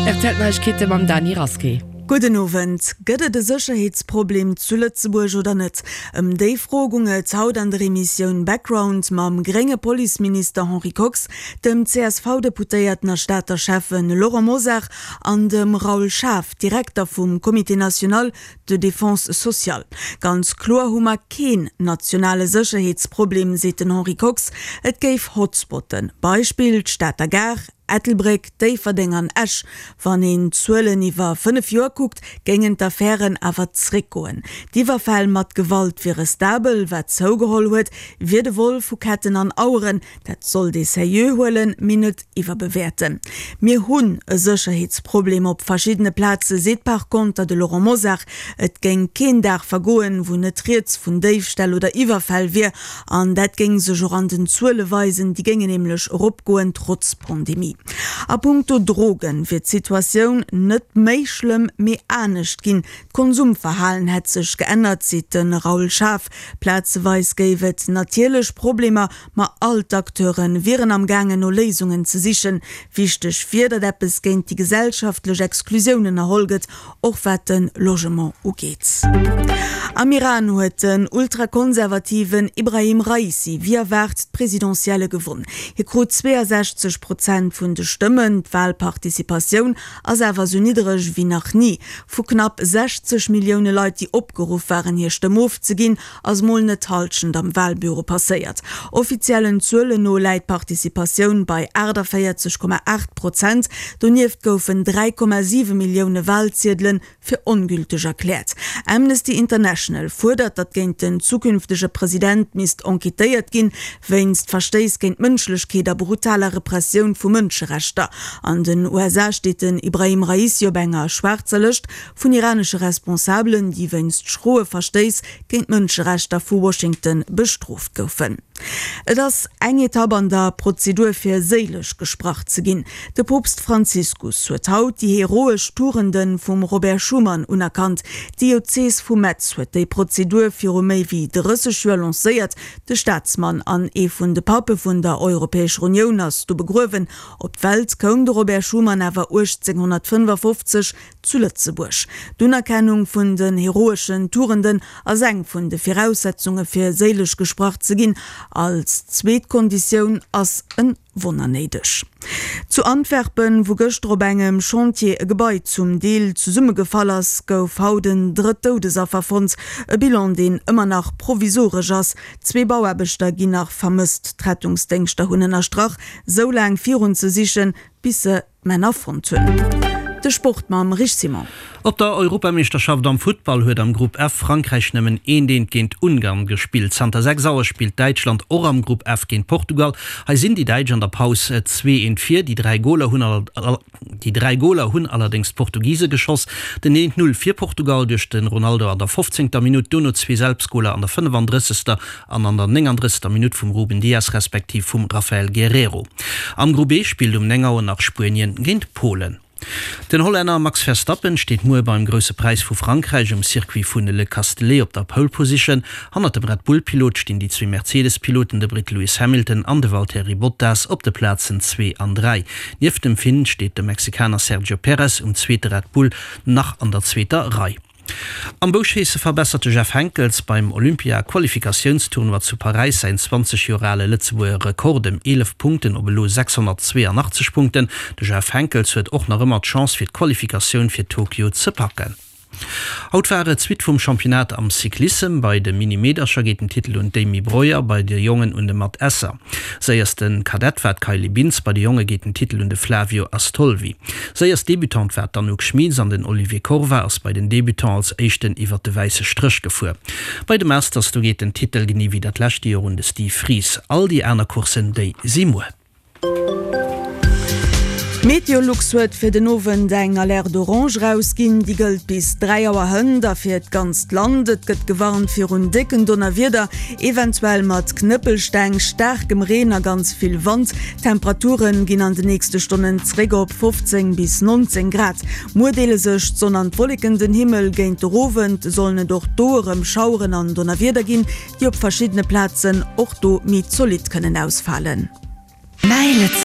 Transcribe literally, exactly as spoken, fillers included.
R T L Neiegkeete mam Dany Rasqué. Gudden Owend. Gëtt et e Sécherheetsproblem zu Lëtzebuerg oder net? Ëm déi Fro gung et haut an der Emissioun Background mam grénge Policeminister Henri Kox, dem C S V-Deputéierten a Stater Schäffen Laurent Mosar an dem Raoul Schaaf, Direkter vum Comité national de défense sociale. Ganz kloer hu mer keen nationale Sécherheetsproblem, seet den Henri Kox. Et géif Hotspotten, Beispill d'Stater Gare, Ettelbréck, Déifferdeng an Esch. Wann een d'Zuelen iwwer fënnef Joer kuckt, géingen d'Affären awer zréckgoen. D'Iwwerfäll mat Gewalt wiere stabel, wat zougeholl huet, wier de Vol vu Ketten an Aueren. Dat sollt ee seriö huelen, mee net iwwerbewäerten. Mir hunn e Sécherheetsproblem op verschiddene Plaze, seet par konter de Laurent Mosar. Et géing keen Dag vergoen, wou net rieds vun Déifställ oder Iwwerfäll wier. An dat géing sech och an den Zuele weisen, déi géingen nämlech eropgoen, trotz Pandemie. A punkto Drogen wier d'Situatioun net méi schlëmm, mee anescht ginn. D'Konsumverhalen hätt sech geännert, seet de Raoul Schaaf. Plazeweis géif et natierlech Problemer, ma all d'Acteure wieren am gaangen no Léisungen ze sichen. Wichteg wier, datt eppes géint déi gesellschaftlech Exklusioun ënnerholl gëtt, och wat de Logement ugeet. Am Iran huet den ultrakonservativen Ibrahim Raisi wéi erwaart d'Presidentielle gewonn. Hie krut zweeasechzeg Prozent vun de Stëmmen. D'Walparticipatioun ass awer sou niddereg wéi nach ni. Vu knapp sechzeg Millioune Leit, déi opgeruff waren hir Stëmm ofzeginn, ass mol net d'Hallschent am Walbüro passéiert. Offiziellen Zuelen no läit d'Participatioun bei aachtavéierzeg Komma aacht Prozent. Donieft goufen dräi Komma siwe Millioune Walziedele fir ongülteg erkläert. Amnesty International fuerdert, datt géint den zukünftege President misst enquêtéiert ginn, wéinst Verstéiss géint d'Mënschlechkeet a brutaler Repressioun vu Mënscherechter. An den U S A steet den Ibrahim Raisi op enger schwaarzer Lëscht vun iranesche Responsabelen, déi wéinst schroe Verstéiss géint d'Mënscherechter vu Washington bestrooft goufen. Et ass eng Etapp an der Prozedur fir séileg gesprach ze ginn. De Poopst Franziskus huet haut déi heroesch Tugende vum Robert Schuman unerkannt. D'Diözees vu Metz huet déi Prozedur viru méi wéi drësseg Joer lancéiert. De Staatsmann an ee vun de Pappe vun der Europäescher Unioun ass do begruewen. Op d'Welt koum de Robert Schuman awer uechtzénghonnertfënnefafofzeg zu Lëtzebuerg. D'Unerkennung vun den heroeschen Tugenden ass eng vun de Viraussetzunge fir séileg gesprach ze ginn. Als zweet Konditioun ass e Wonner néideg. Zu Antwerpen, wou gëschter op engem Chantier e Gebai zum Deel zesummegefall ass, gouf haut en drëtt Doudesaffer fonnt. E Bilan, deen ëmmer nach provisoresch ass. Zwee Bauaarbechter ginn nach vermësst. D'Rettungsdéngschter hunn ënnerstrach, sou laang virun ze sichen, bis se d'Männer fonnt hunn. De Sport mam Rich Simon. Op der Europameeschterschaft am Futtball huet am Grupp F Frankräich nëmmen eent eent géint Ungarn gespillt. Zanter sechs Auer spillt Däitschland och am Grupp F géint Portugal. Hei sinn déi Däitsch an der Paus zwee eent vir. Déi dräi Goler hunn déi dräi Goler hunn allerdéngs d'Portugise geschoss. Den eent Null fir Portugal duerch de Ronaldo an der fofzéngter Minutt, dono zwee Selbstgoler an der fënnefandrëssegster an an der néngandrëssegster Minutt vum Ruben Dias respektiv vum Raphael Guerreiro. Am Grupp E spillt um néng Auer nach Spuenien géint Polen. Den Hollänner Max Verstappen steet muer beim Grousse Präis vu Frankräich um Circuit vun Le Castellet op der Pole Position. Hannert dem Red Bull-Pilot stinn déi zwee Mercedes-Piloten, de Britt Lewis Hamilton an de Valtteri Bottas op de Plazen zwee an dräi. Nieft dem Finn steet de Mexikaner Sergio Perez um zweete Red Bull nach an der zweeter Rei. Am Bouschéisse verbessert de Jeff Henckels beim Olympia-Qualifikatiounstournoi zu Paräis säin zwanzeg Joer ale Lëtzebuerger Rekord ëm eelef Punkten op elo sechshonnertzweeanachtzeg Punkten. De Jeff Henckels huet och nach ëmmer d'Chance fir d'Qualifikatioun fir Tokio ze packen. Haut war et d'Suite vum Championnat am Cyclissem. Bei de Mini-Meedercher geet den Titel un d'Amy Breuer, bei de Jongen un de Matt Esser. Séierste Kadett war d'Kylie Bintz, bei de Jonge geet den Titel un de Flavio Astolvi. Séierst Debutante war d'Anouk Schmieds an den Olivier Korva ass bei den Debutants als éischten iwwert de wäisse Stréch gefuer. Bei de Masters, do geet den Titel genee wéi dat lescht Joer un de Steve Fries. All déi aner Courssen, déi si muer. Meteolux huet fir den Owend eng Alerte orange erausginn. Déi gëllt bis dräi Auer hënt a fir d'ganzt Land. Et gëtt gewarnt virun décken Donnerwieder, eventuell mat Knëppelsteng, staarkem Reen a ganz vill Wand. D'Temperature ginn an de nächste Stonnen zréck op fofzéng bis nonzéng Grad. Muer deele sech d'Sonn an d'Wolleken den Himmel. Géint de Owend sollen et och do erëm Schaueren an Donnerwieder ginn, déi op verschiddene Plazen och do méi zolidd kënnen ausfalen.